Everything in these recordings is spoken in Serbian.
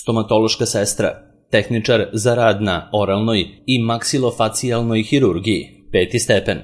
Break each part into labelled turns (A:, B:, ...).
A: stomatološka sestra, tehničar za rad na oralnoj i maksilofacijalnoj hirurgiji, 5. stepen.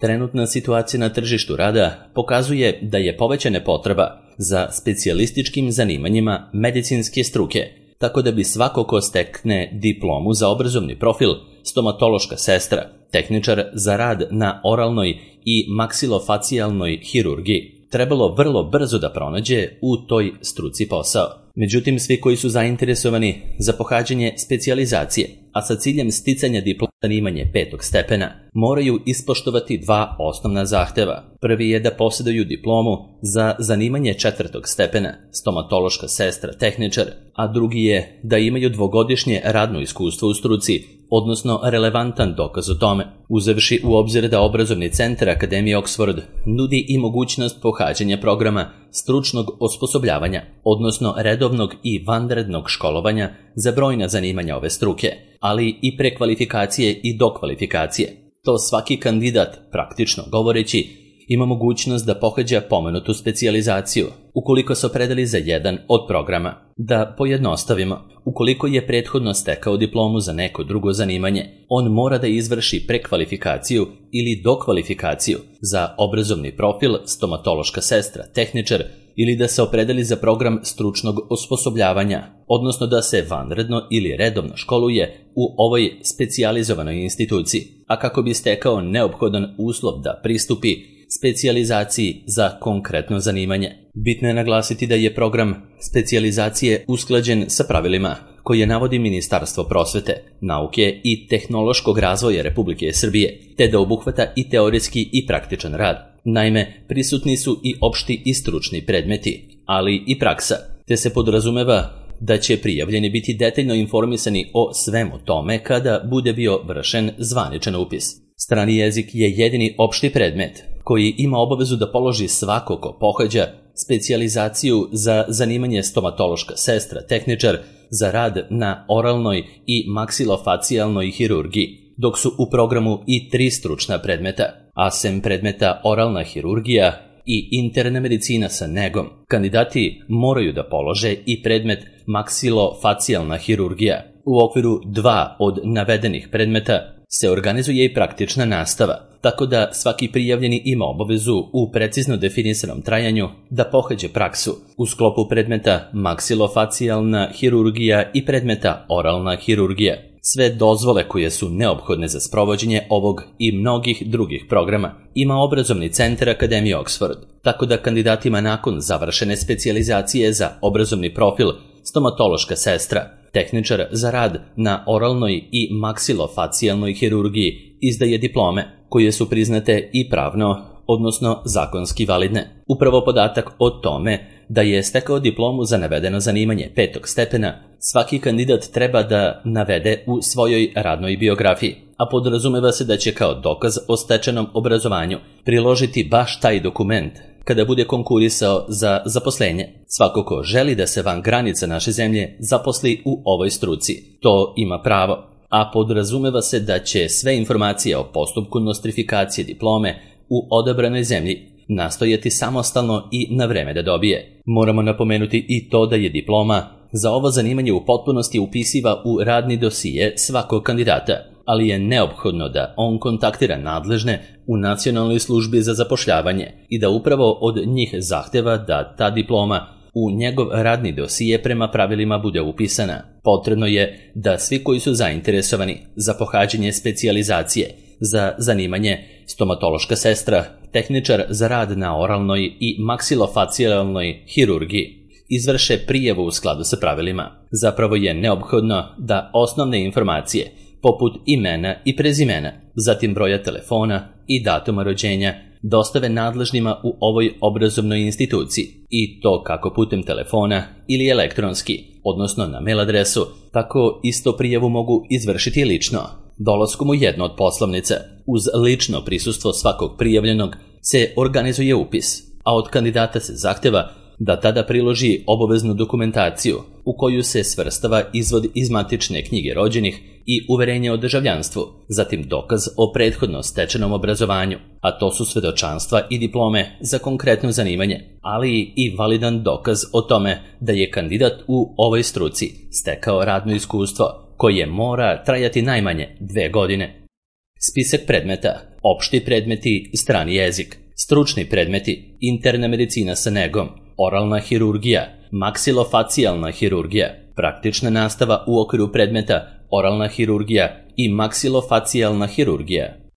A: Trenutna situacija na tržištu rada pokazuje da je povećana potreba za specijalističkim zanimanjima medicinske struke, tako da bi svako ko stekne diplomu za obrazovni profil stomatološka sestra, tehničar za rad na oralnoj i maksilofacijalnoj hirurgiji, trebalo vrlo brzo da pronađe u toj struci posao. Međutim, svi koji su zainteresovani za pohađanje specijalizacije, a sa ciljem sticanja diploma zanimanje 5. stepena, moraju ispoštovati dva osnovna zahteva. Prvi je da posjeduju diplomu za zanimanje 4. stepena, stomatološka sestra tehničar, a drugi je da imaju dvogodišnje radno iskustvo u struci, odnosno relevantan dokaz o tome, uzevši u obzir da obrazovni centar Akademije Oxford nudi i mogućnost pohađanja programa stručnog osposobljavanja, odnosno redovnog i vanrednog školovanja za brojna zanimanja ove struke, ali i prekvalifikacije i dokvalifikacije. To svaki kandidat, praktično govoreći, ima mogućnost da pohađa pomenutu specijalizaciju, ukoliko se opredeli za jedan od programa. Da pojednostavimo, ukoliko je prethodno stekao diplomu za neko drugo zanimanje, on mora da izvrši prekvalifikaciju ili dokvalifikaciju za obrazovni profil stomatološka sestra, tehničar, ili da se opredeli za program stručnog osposobljavanja, odnosno da se vanredno ili redovno školuje u ovoj specijalizovanoj instituciji, a kako bi stekao neophodan uslov da pristupi specijalizaciji za konkretno zanimanje. Bitno je naglasiti da je program specijalizacije usklađen sa pravilima koje navodi Ministarstvo prosvete, nauke i tehnološkog razvoja Republike Srbije, te da obuhvata i teoretski i praktičan rad. Naime, prisutni su i opšti i stručni predmeti, ali i praksa, te se podrazumeva da će prijavljeni biti detaljno informisani o svemu tome kada bude bio vršen zvaničan upis. Strani jezik je jedini opšti predmet koji ima obavezu da položi svako ko pohađa specijalizaciju za zanimanje stomatološka sestra, tehničar za rad na oralnoj i maksilofacijalnoj hirurgiji, dok su u programu i 3 stručna predmeta, a sem predmeta oralna hirurgija i interna medicina sa negom. Kandidati moraju da polože i predmet maksilofacijalna hirurgija. U okviru 2 od navedenih predmeta se organizuje i praktična nastava, tako da svaki prijavljeni ima obavezu u precizno definisanom trajanju da pohađe praksu u sklopu predmeta maksilofacijalna hirurgija i predmeta oralna hirurgija. Sve dozvole koje su neophodne za sprovođenje ovog i mnogih drugih programa ima obrazovni centar Akademije Oxford, tako da kandidatima nakon završene specijalizacije za obrazovni profil stomatološka sestra, tehničar za rad na oralnoj i maksilofacijalnoj hirurgiji izdaje diplome koje su priznate i pravno, odnosno zakonski validne. Upravo podatak o tome da je stekao diplomu za navedeno zanimanje 5. stepena svaki kandidat treba da navede u svojoj radnoj biografiji, a podrazumeva se da će kao dokaz o stečenom obrazovanju priložiti baš taj dokument kada bude konkurisao za zaposlenje. Svako ko želi da se van granica naše zemlje zaposli u ovoj struci, to ima pravo, a podrazumeva se da će sve informacije o postupku nostrifikacije diplome u odabranoj zemlji nastojati samostalno i na vreme da dobije. Moramo napomenuti i to da je diploma za ovo zanimanje u potpunosti upisiva u radni dosije svakog kandidata, ali je neophodno da on kontaktira nadležne u Nacionalnoj službi za zapošljavanje i da upravo od njih zahteva da ta diploma u njegov radni dosije prema pravilima bude upisana. Potrebno je da svi koji su zainteresovani za pohađanje specijalizacije za zanimanje stomatološka sestra, tehničar za rad na oralnoj i maksilofacijalnoj hirurgiji izvrše prijavu u skladu sa pravilima. Zapravo je neophodno da osnovne informacije poput imena i prezimena, zatim broja telefona i datuma rođenja dostave nadležnima u ovoj obrazovnoj instituciji, i to kako putem telefona ili elektronski, odnosno na mail adresu, tako isto prijavu mogu izvršiti lično, dolaskom u jednu od poslovnica. Uz lično prisustvo svakog prijavljenog se organizuje upis, a od kandidata se zahteva da tada priloži obaveznu dokumentaciju u koju se svrstava izvod iz matične knjige rođenih i uverenje o državljanstvu, zatim dokaz o prethodno stečenom obrazovanju, a to su svedočanstva i diplome za konkretno zanimanje, ali i validan dokaz o tome da je kandidat u ovoj struci stekao radno iskustvo koje mora trajati najmanje 2 godine. Spisak predmeta: opšti predmeti, strani jezik, stručni predmeti, interna medicina sa negom, oralna hirurgija, maksilofacijalna hirurgija, praktična nastava u okviru predmeta oralna hirurgija i maksilofacijalna hirurgija.